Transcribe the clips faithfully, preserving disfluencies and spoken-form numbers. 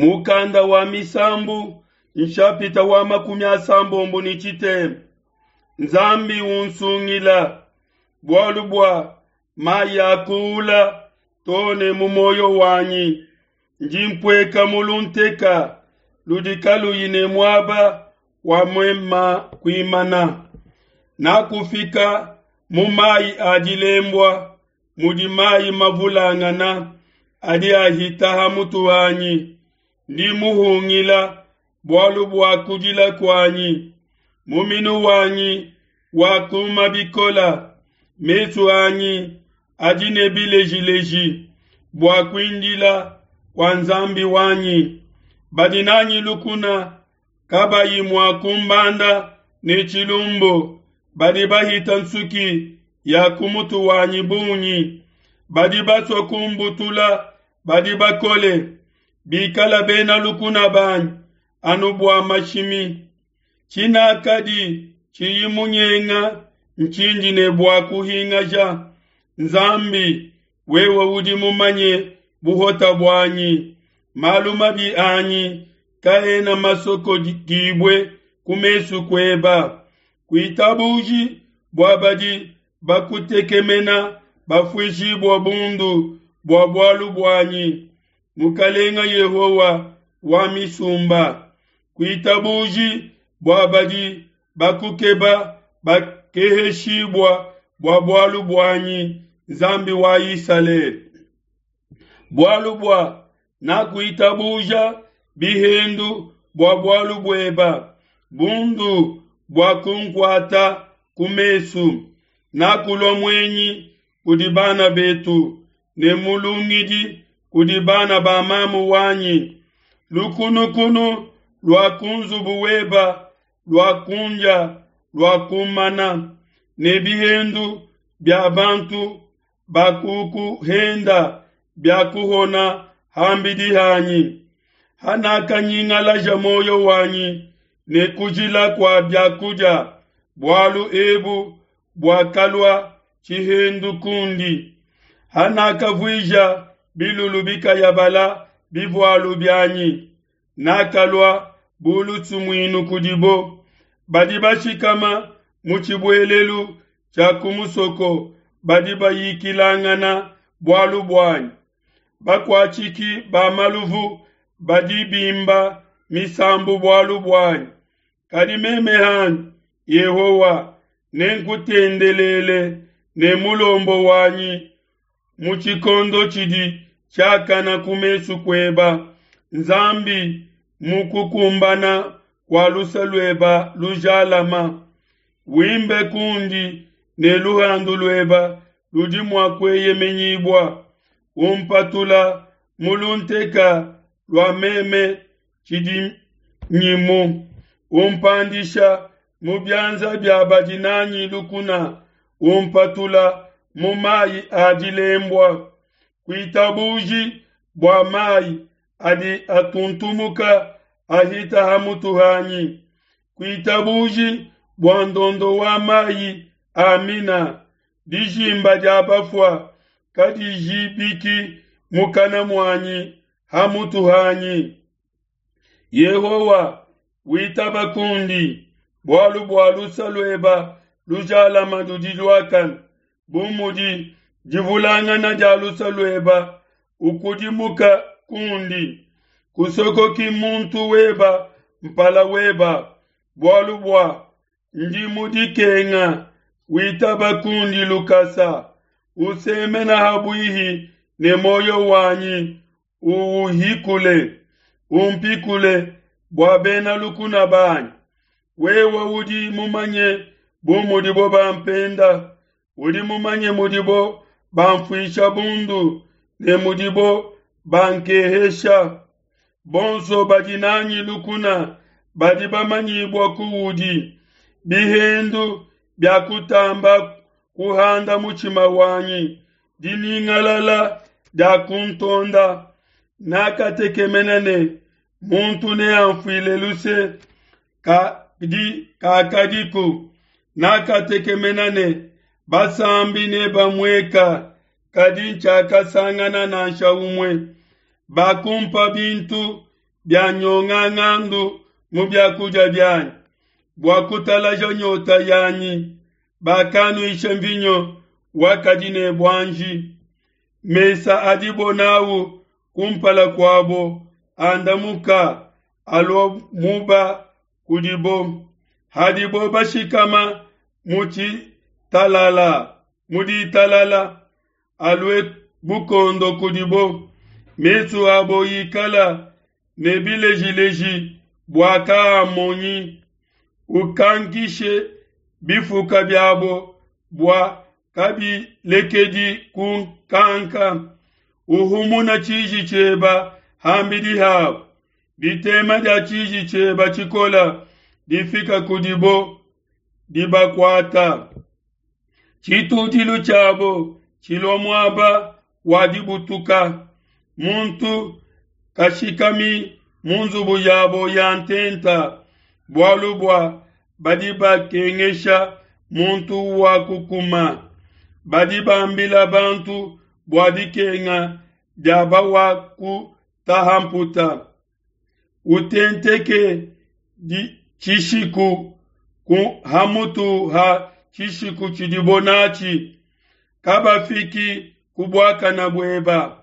Mukanda wa Misambu, nshapita wa makumi asambombo ne tshitema. Nzambi unsungila, bualu bua mayi akuula too ne mu muoyo wanyi. Ndi mpueka mu lunteka ludi kaluyi ne muaba wa mema kuimana. Nakufika mu mayi a dilembua, mudi mayi mavulangana adi ahita ha mutu hanyi. Ndi muhungila bualu bua kudila kuanyi, muminu wanyi wakuma bikola, mesu anyi adi ne bilejileji bua kuindila kua Nzambi wanyi. Badi nanyi lukuna kabayi mua kumbanda ne tshilumbu, badi bahita nsuki ya ku mutu wanyi bungi, badi basua kumbutula badi bakole, bikala bena lukuna banyi anu bua mashimi. Tshinakadi tshiyi munyenga ntshindi ne bua kuhingaja. Nzambi, wewe udi mumanye buhota buanyi, malu mabi anyi kaena masokodibue ku mesu kueba. Kuitabuji bua badi bakutekemena bafuishibua bundu bua bualu buanyi, Mukalenga Yehowa wa misumba. Kuitabuji bua badi bakukeba bakeheshibua bua bualu buanyi, Nzambi wa Isalele. Bualu bua nakuitabuja bihendu bua bualu bueba, bundu bua kunkuata ku mesu. Nakulua muenyi kudi bana betu ne mulungidi kudi bana ba mamu wanyi. Lukunukunu lua ku nzubu weba lua kundia lua kumana, ne bihendu bia bantu bakukuhenda bia kuhona hambidi hanyi. Hanakanyingalaja moyo wanyi ne kujila kua biakudia, bualu ebu buakalua tshihendu kundi. Hanakavuija bilulu bikayabala bivualu bianyi, nakalua bu lusumuinu kudibo. Badi bashikama mu tshibuelelu tshia ku musoko badi bayikilangana bualu buanyi. Bakuatshiki ba maluvu badi bimba misambu bualu buanyi. Kadi meme hanyi, Yehowa, nenkutendelele ne mulombo wanyi mu tshikondo tshidi tshiakana ku mesu kueba, Nzambi, mu kukumbana kua luse lueba lujalama. Wimbe kundi ne luhandu lueba ludi mua kueyemenyibua. Umpatula mu lunteka lua meme tshidinyimu, umpandisha mu bianza bia badi nanyi lukuna, umpatula mu mayi a dilembua. Kuitabuji bua mayi adi atuntumuka ahita ha mutu hanyi. Kuitabuji bua ndondo wa mayi amina. Dijimba dia bafua kadijibiki mukana muanyi ha mutu hanyi. Yehowa, witaba kundi, bualu bua luse lueba lujalama ludi luakane. Bu mudi divulangana dia luse lueba, ukudimuka kundi. Kusokoki muntu weba mpala weba, bualu bua ndi mu dikenga, witaba kundi lukasa. Usemena habuihi ne moyo wanyi, uuhikule, umpikule bua bena lukuna banyi. Wewe udi mumanye bu mudibo bampenda, udi mumanye mudibo banfuisha bundu ne mudibo bankehesha. Bonso badi nanyi lukuna badi bamanyibua kuudi. Bihendu biakutamba kuhanda mutshima wanyi, dinyingalala dia kuntonda. Nakatekemena ne muntu neanfuile luse, kadi kakadiku. Nakatekemena ne basambi nebamueka, kadi ntshiakasangana nansha umue. Bakumpa bintu bia nyongangandu mu biakudia bianyi. Bua kutalaja nyota yanyi, bakanuisha mvinyo wakadi ne buanji. Mesa adibo nawu kumpala kuabo andamuka alua muba kudibo. Hadibo bashikama mu tshitalala, mu ditalala, alue bukondo kudibo. Mesu abo ikala ne bilejileji bua kaamonyi. Ukankishe bifuka biabo bua kabilekedi kunkanka. Uhumuna tshiji tshieba hambidi habo. Ditema dia tshiji tshieba tshikola difika kudibo dibakuata. Tshitudilu tshiabo tshilua muaba wa dibutuka. Muntu kashikami mu nzubu yabo ya ntenta, bualu bua badi bakengesha muntu wa kukuma. Badi bambila bantu bua dikenga dia bawakutaha mputa. Utenteke di tshishiku ku hamutu ha tshishiku tshidibo natshi. Kabafiki ku buakana bueba.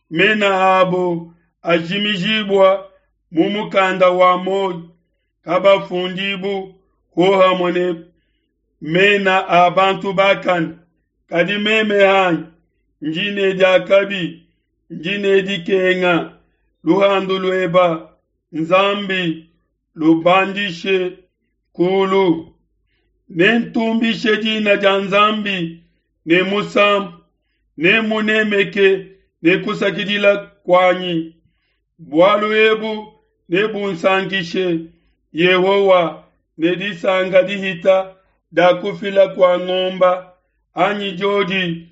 Mena abo ajimijibua mu mukanda wa muoyo. Kabafundibu hohamue ne mena a bantu bakane. Kadi meme hanyi ndi ne diakabi, ndi ne dikenga. Luhandu lueba Nzambi lubandishe kulu. Nentumbishe dina dia Nzambi ne musambu, nemunemeke ne kusakidila kuanyi. Bualu ebu nebunsankishe Yehowa ne disanka dihita dia kufila kua ngomba, anyi diodi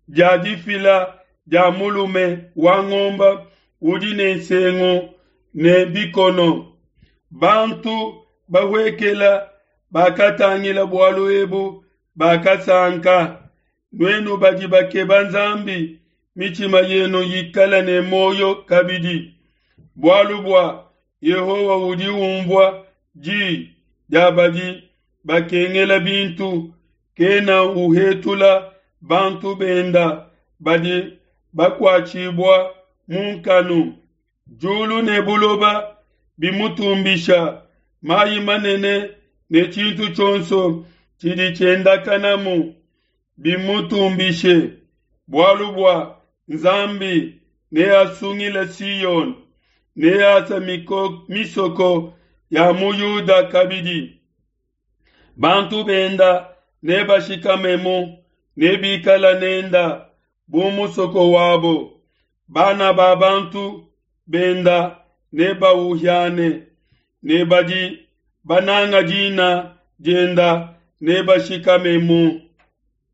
dia difila dia mulume wa ngomba udi ne nsengu ne bikono. Bantu bahuekela bakatangila bualu ebu bakasanka. Nuenu badi bakeba Nzambi, mitshima yenu yikala ne muoyo kabidi. Bualu bua Yehowa udi umvua di dia badi bakengela bintu, kena uhetula bantu benda badi bakuatshibua mu nkanu. Diulu ne buloba bimutumbisha, mayi manene ne tshintu tshionso tshidi tshiendakanamu bimutumbishe. Bualu bua Nzambi neasungile Siyone, neasa misoko ya mu Yuda kabidi. Bantu benda nebashikamemu, nebikala nenda bu musoko wabo. Bana ba bantu benda nebauhiane, ne badi bananga dina dienda nebashikamemu.